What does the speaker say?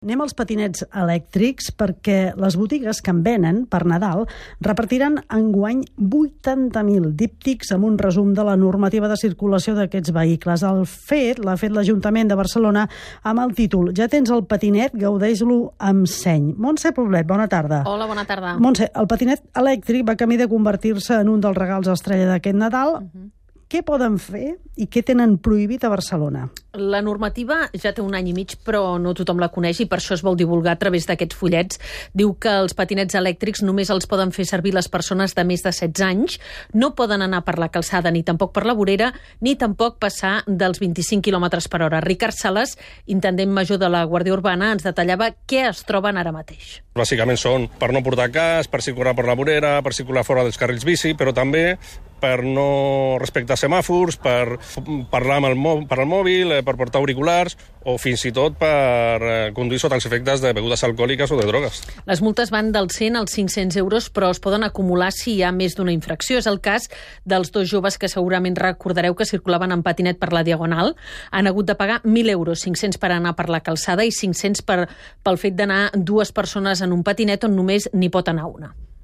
Anem als patinets elèctrics perquè les botigues que en venen per Nadal repartiran enguany 80.000 díptics amb un resum de la normativa de circulació d'aquests vehicles. L'ha fet l'Ajuntament de Barcelona amb el títol "Ja tens el patinet, gaudeix-lo amb seny". Montse Poblet, bona tarda. Hola, bona tarda. Montse, el patinet elèctric va camí de convertir-se en un dels regals estrella d'aquest Nadal. Què poden fer i què tenen prohibit a Barcelona? La normativa ja té un any i mig, però no tothom la coneix i per això es vol divulgar a través d'aquests fullets. Diu que els patinets elèctrics només els poden fer servir les persones de més de 16 anys, no poden anar per la calçada ni tampoc per la vorera, ni tampoc passar dels 25 km per hora. Ricard Sales, intendent major de la Guàrdia Urbana, ens detallava què es troben ara mateix. Bàsicament són per no portar casc, per circular per la vorera, per circular fora dels carrils bici, però també per no respectar semàfors, per parlar per el mòbil, per portar auriculars o fins i tot per conduir sota els efectes de begudes alcohòliques o de drogues. Les multes van dels 100 als 500 euros, però es poden acumular si hi ha més d'una infracció. És el cas dels dos joves que segurament recordareu que circulaven en patinet per la Diagonal. Han hagut de pagar 1.000 euros, 500 per anar per la calçada i 500 pel fet d'anar dues persones en un patinet on només n'hi pot anar una.